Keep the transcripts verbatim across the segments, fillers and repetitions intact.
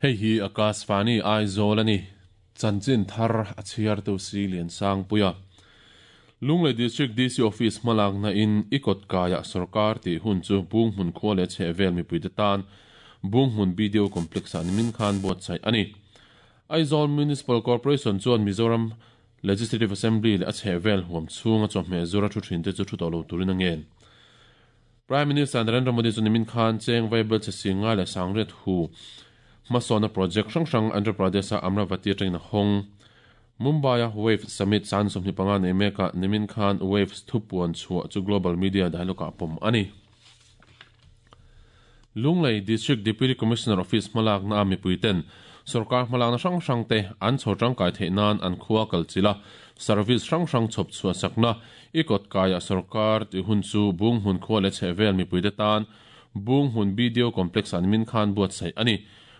Hei hi Akashvani Aizawl ani. Chanchin thar a chhiar tu si lian sang puia. Lunglei District D C Office hmalak na in ikot kaya sarkar ti hun chu bung hmun khua le che vel mi puite tan bung hmun B D O complex an min khan buat sai ani. Aizawl Municipal Corporation chuan Mizoram Legislative Assembly le a che vel huam chhunga chawhmeh zura thu thin te chu thu tawh lo turin a ngen. Prime Minister Narendra Modi chu nimin khan cheng vaibel che singa le sangret hu masona project hrang hrang Andhra Pradesh a Amravati atangin a hawng. Mumbai a Wave Summit san sawmhnih panga nei meka nimin khan Waves thupuan chhuah chu global media dialogue ah pawm ani. Lunglei District Deputy Commissioner Office hmalak na a mipuiten sarkar hmalak na hrang hrang te an chho tangkai theih nan an khua kalchila service hrang hrang chhawp chhuah sakna ikot kaya sarkar ti hun chu bung hmun khua le chhevel mipuite tan bung hmun B D O complex an min khan buat sai ani.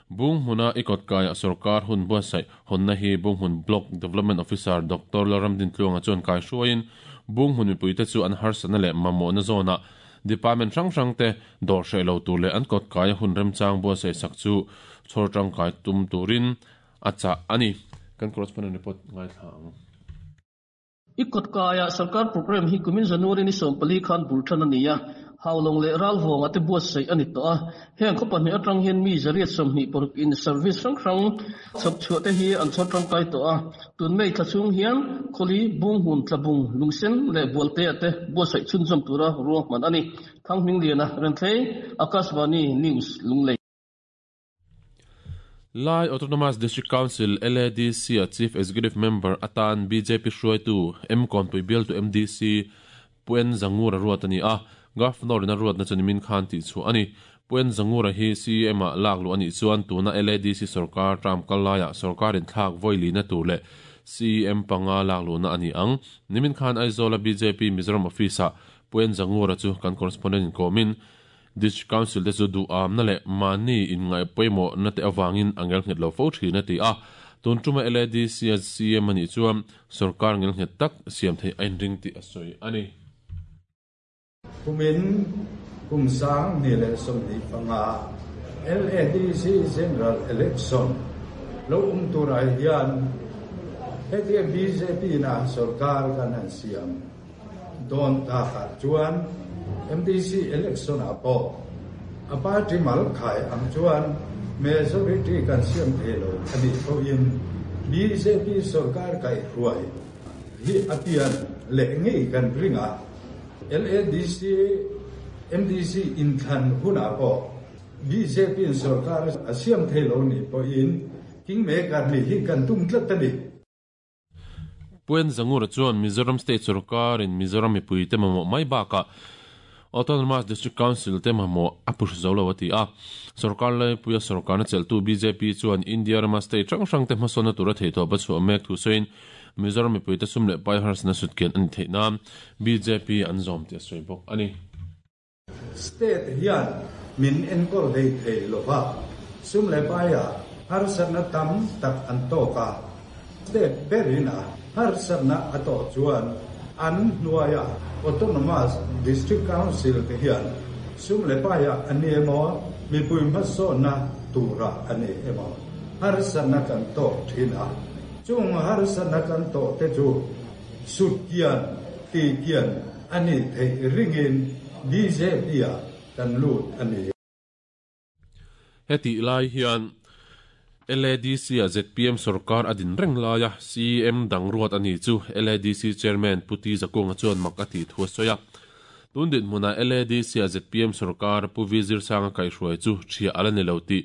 Bung hmuna ikot kaya sarkar hun buat sai honna hi bung hmun block development officer Doctor Laramdin Tluanga chuan kai hruaiin bung hmun mipuite chu an harsana le mamawh na zawna department hrang hrang te dawr hreh lo tur leh an kawt kaia hun remchang buat sai sak chu chhawr tangkai tum turin a chah ani. Kan correspondent report ngai thla ang. Ikot kaya sarkar program hi kumin January ni sawmpali khan bulthan ani a. Haulong le ral vong ate buat sei ani to a. Heng khopa ni atang hian mi zariat sawmhnih paruk in service hrang hrang chhawp chhuah te hi an chhawr tangkai to a. Tun mei thla chhung hian khawli bung hmun tlabung lungsen le bualte ate buat sai chhunzawm tura ruahman ani. Thanghming liana Renthlei Akashvani News Lunglei. Lai Autonomous District Council L A D C a Chief Executive Member atan B J P hruaitu M Kawnpui bial tu M D C Puen Zangura ruat ani a. Governor in a ruat na chu nimin khan tih chu ani. Puen Zangura hi C M a lak lu ani chuan tuna L A D C sarkar tram kalaya sarkar in thlak voili na tur le C M panga lak lu na ani ang. Nimin khan Aizawl a B J P Mizoram office a Puen Zangura chu kan correspondent in komin District Council te chu du am na le mani in ngai poimo na te awangin angel nghet lo fo thina ti a. Tun tuma L A D C a C M ani chuan sarkar ngel nghet tak siam thei ain ring ti a sawi ani. Kumin kumsang ni le sawmhnih panga L A D C General Election lo um tur ah hian hetia B J P na sarkar kan han siam dawn takah chuan M D C election ah pawh a party mal khai ang chuan majority kan siam thei lo ani pawhin B J P sarkar kai hruai hi apian leh ngei kan ringa L A D C M D C inthlan hunah pawh B J P sarkar a siam thei lo ni pawhin kingmaker ni hi kan tum tlat ani. Puen Zangura chuan Mizoram State sarkar in Mizoram mipui te mamawh mai bakah Autonomous District Council te mamawh a push zo lo ati a. Sarkar lai puia sarkar na cheltu B J P chuan India rama state hrang hrang te hmasawn na tura thei tawh pa chhuah mek thu sawiin Mizoram mipui te sum leh pai harsna sutkian ani theih nan B J P an zawm ti a sawi bawk ani. State hian min enkawr hlei thei lova sum leh paia harsatna tam tak an tawk a. State berina harsatna a tawh chuan an hnuaia Autonomous District Council te hian sum leh paia ani emaw mipui hmasawnna tura ani emaw harsatna kan tawk thin a. Chung harsatna kan tawh te chu sutkian tikian ani thei ringin B J P a kan lut ani. Heti lai hian L A D C a Z P M sarkar adin reng laia C M dang ruat ani chu L A D C Chairman Puti Zakunga chuan mak ati thu soya. Tundin hmuna L A D C a Z P M sarkar Pu Vizir Sanga kai hruai chu thia ala ni lo ti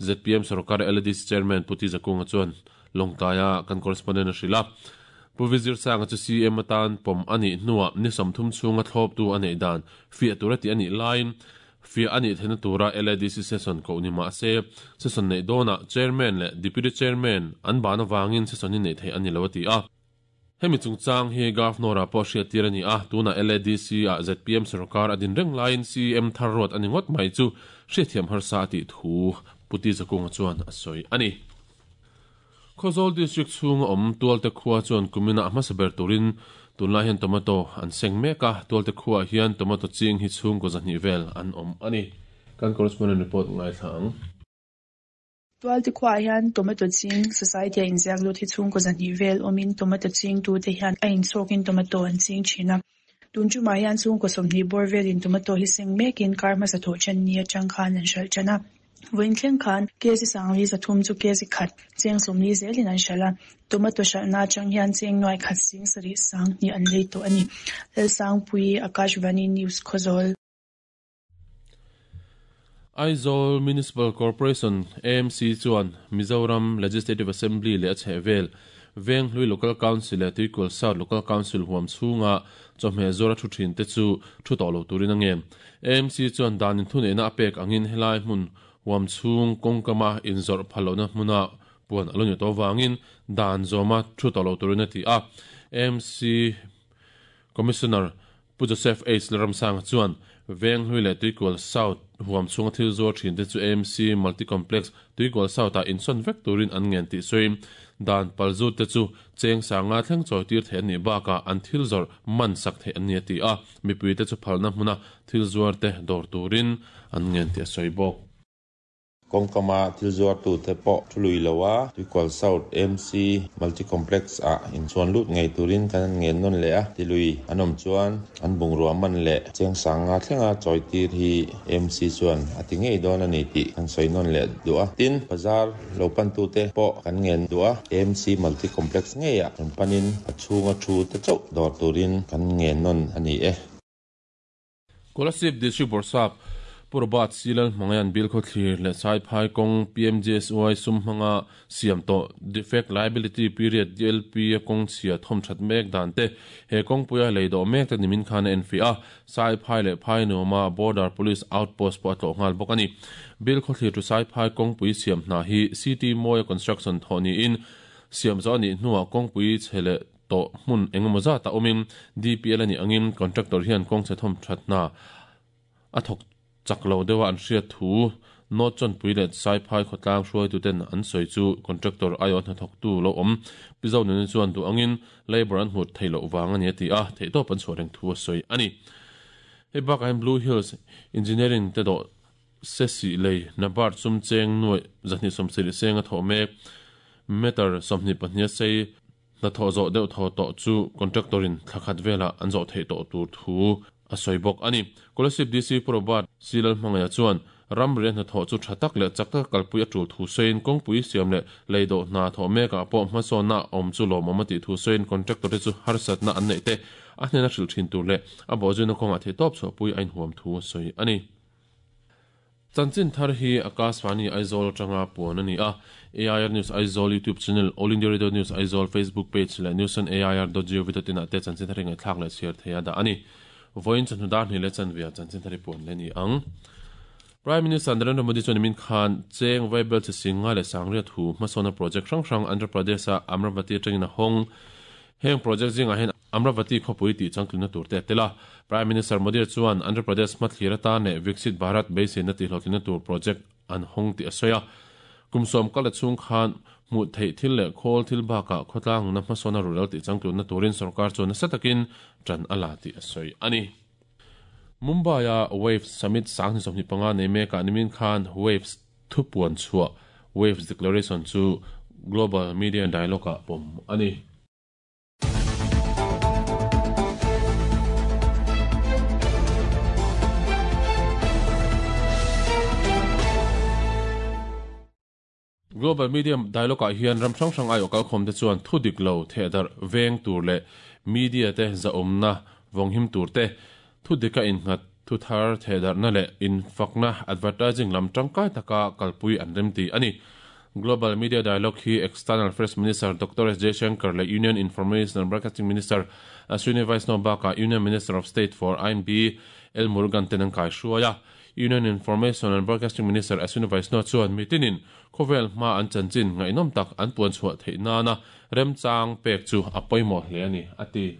Z P M sarkar L A D C Chairman Puti Zakunga chuan longtaya kan correspondent hrila. Pu Vizir Sanga chu C M atan pom ani hnuah ni sawmthum chhunga thlawp tu anei dan fiah tura ti ani lain fia ani thena tura L A D C session ko ni ma se session nei dona chairman le deputy chairman an bana wangin session ni nei thei ani lo ti a. Hemi chungchang hi governor a pawh hriat tir ani a. Tuna L A D C a Z P M sarkar adin reng lain C M thar ruat ani ngawt mai chu hriathiam harsa ti thu Puti Zakunga chuan a sawi ani. Khawzawl District chhunga awm tualte khua chuan kumina a hmasa ber turin tunlai hian tomato an seng mek a. Tualte khua hian tomato ching hi chhungkaw zahnih vel an awm ani. Kan correspondent report ngai thla ang. Tualte khuaah hian tomato ching society a inziak lut hi chhungkaw zahnih vel awmin tomato ching tu te hian a inchhawkin tomato an ching thin a. Tun tumah hian chhungkaw sawmhnih bawr velin tomato hi seng mekin kar hmasa thawh then ni atang khan an hralh tan a. Vawiin thleng khan kg sangli zathum chu kg khat cheng sawmli zelin an hralh a. Tomato hralhna atang hian cheng nuai khat sing sarih sang hnih an lei tawh a ni. Lalsangpui Akashvani News Khawzawl. Aizawl Municipal Corporation A M C chuan Mizoram Legislative Assembly leh a chhehvel Venghlui Local Council leh Tuikual South Local Council huam chhunga chawhmeh zawra thu thin te chu thu tawh lo turin a ngen. A M C chuan danin thuneihna a pek angin helai hmun huam chhung kawngkama inzawrh phallohna hmuna puan a lo ni tawh vangin dan zawma thu tawh lo turin a ti a. A M C Commissioner Pu Joseph H. Lalramsanga chuan Venghlui leh Tuikual South huam chhunga thil zuar thin te chu A M C Multi-Complex Tuikual South ah insawn vek turin an ngen tih sawiin dan palzut te chu cheng sanga thleng chawi tir theih an nih bakah an thil zawrh man sak theih an ni a ti a. Mipui te chu phalna hmuna thil zuar te dawr turin an ngen tih a sawi bawk. Kawngkama thil zuar tu te pawh thu lui lo a Tuikual South A M C Multi-Complex ah inchuan lut ngei turin kan an ngen nawn leh a. Tilui an awm chuan an bungrua man leh cheng sanga thlenga chawi tir hi A M C chuan a ti ngei dawn a ni tih kan sawi nawn leh duh a. Tin bazar lo pan tu te pawh kan ngen duh a. A M C Multi-Complex ngei ah kan panin a chhunga thu te chauh dawr turin kan ngen nawn a ni e. Kolasib District Borsap Purbat Silal Mangayan Bill kho thlir le Sai Phai Kong P M J S Y sum hmanga siam to defect liability period D L P kong chhia thom that mek dan te he kong puia leido mek te nimin khan en fi a Sai Phai le Phai Noma Border Police Outpost po atlo ngal bawk ani. Bill kho thlir tu Sai Phai Kong pui siam hna hi C T Moya Construction thoni in siam zo ni hnuah kong pui chhele to hmun engemaw zat a awmin D P L ani angin contractor hian kong chhe thom that na a thawk chaklo dewa an hriat thu not chon pui le Sai Phai khawtlang hruai tu ten an sawi chu contractor aio hna thawk tu lo awm pizo nun chuan du angin labor an hmut theilo wang ani ti a thei tawp an chhuah reng thu a sawi ani. Hei bakah hian Blue Hills Engineering te dawh se si lei nabar chum cheng nuai zahnih sawmsarih seng a thawh mek meter sawmhnih pahnih a sei hna thawh zawh deuh thaw tawh chu contractorin thlakhat velah an zawh theih tawh tur thu a sawi bawk ani. Kolasib D C Purbat Silal Hmangaya chuan ramri hna thawh chu tha tak leh chak taka kalpui a tul thu sawiin kawngpui siam leh leido hna thawh mekah pawh hmasawnna awm chu lawmawm a tih thu sawiin contractor te chu harsatna an neih te a hnena hrilh thin tur leh a bawhzuina kawngah theih tawp chhuahpui a inhuam thu a sawi ani. Chanchin thar hi Akashvani Aizawl atanga puan ani a. A I R News Aizawl YouTube channel, All India Radio News Aizawl Facebook page leh news on A I R dot gov dot in ah te chanchin thar hi ngaihthlak leh chhiar thei a dah ani. Vawiin chawhnu dar hnih leh chanvia chanchin thar hi puan le ni ang. Prime Minister Narendra Modi chuan nimin khan cheng vaibel chi singa leh sangria thu hmasawna project hrang hrang Andhra Pradesh a Amravati atangin a hawng. Heng project zingah hian Amravati khawpui tih changtlunna tur te a tel a. Prime Minister Modi chuan Andhra Pradesh hmathlir atan leh Viksit Bharat beiseina tih hlawhtlinna tur project an hawng tih a sawi a. Kumsawm kal a chhung khan hmuh theih thil leh khawl thil bakah khawtlangna hmasawna rural tih changtlunna turin sarkar chuan nasa takin tan a la tih a sawi ani. Mumbai a Waves Summit sanghnih sawmhnih panga nei mekah nimin khan Waves thupuan chhuah Waves Declaration chu Global Media Dialogue ah pawm ani. Global Media Dialogue ah hian ram hrang hrang aio kalkhawm te chuan thu dik lo thehdar veng tur leh media te zaawmna vawnghim tur te thu dika innghat thu thar thehdarna leh infakna advertising lam tangkai taka kalpui an rem ti ani. Global Media Dialogue hi External Affairs Minister Doctor S Jaishankar leh Union Information and Broadcasting Minister Ashwini Vaishnaw bakah Union Minister of State for I M B L Murugan ten an kai hruai a. Union Information and Broadcasting Minister Ashwini Vaishnaw chuan mitinin khawvel hma an chanchin ngaihnawm tak an puan chhuah theih nana remchang pek chu a pawimawh hle ani a ti.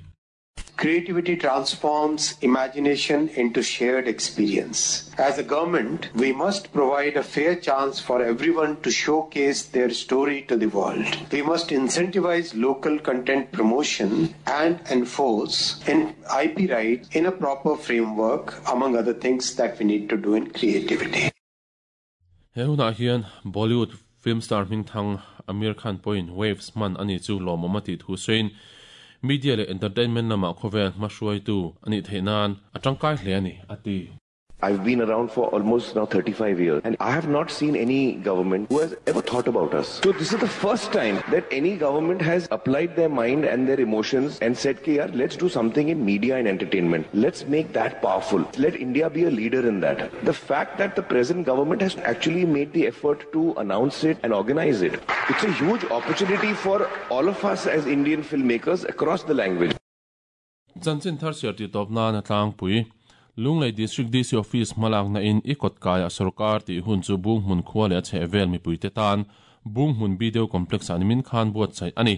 Creativity transforms imagination into shared experience. As a government, we must provide a fair chance for everyone to showcase their story to the world. We must incentivize local content promotion and enforce in I P rights in a proper framework, among other things that we need to do in creativity. He hunah hian Bollywood Film star hmingthang Aamir Khan pawhin Waves hman a ni chu lawmawm a tih thu sawiin media leh entertainment lamah khawvel hmahruaitu a nih theih nan a tangkai hle a ni, a ti. I've been around for almost now thirty-five years and I have not seen any government who has ever thought about us. So this is the first time that any government has applied their mind and their emotions and said, Ki, yaar, let's do something in media and entertainment. Let's make that powerful. Let India be a leader in that. The fact that the present government has actually made the effort to announce it and organize it, it's a huge opportunity for all of us as Indian filmmakers across the language. Chanchin thar siar ti tawp nan a tlangpui. Lunglei District D C Office hmalak na in i kawtkaia sarkar tih hun chu bung hmun khua leh a chheh vel mipuite tan bung hmun video complex ah nimin khan buatsaih a ni.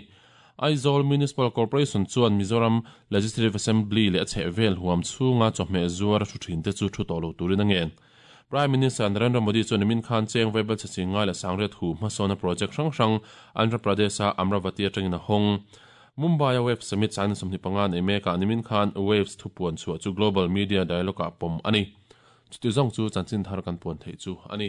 Aizawl Municipal Corporation chuan Mizoram Legislative Assembly leh a chheh vel huam chhunga chawhmeh zuar a thu thin te chu thu tawh lo turin a ngen. Prime Minister Narendra Modi chuan nimin khan cheng vaibel che chingai leh sangriat hu hmasawna project hrang hrang Andhra Pradesh a Amravati atangin a hawng. Mumbai Waves Summit chang sawmhnih panga nei mekah nimin khan Waves thupuan chhuah chu Global Media Dialogue ah pawm a ni. Chuti zawng chu chanchin thar kan puan theih chu a ni.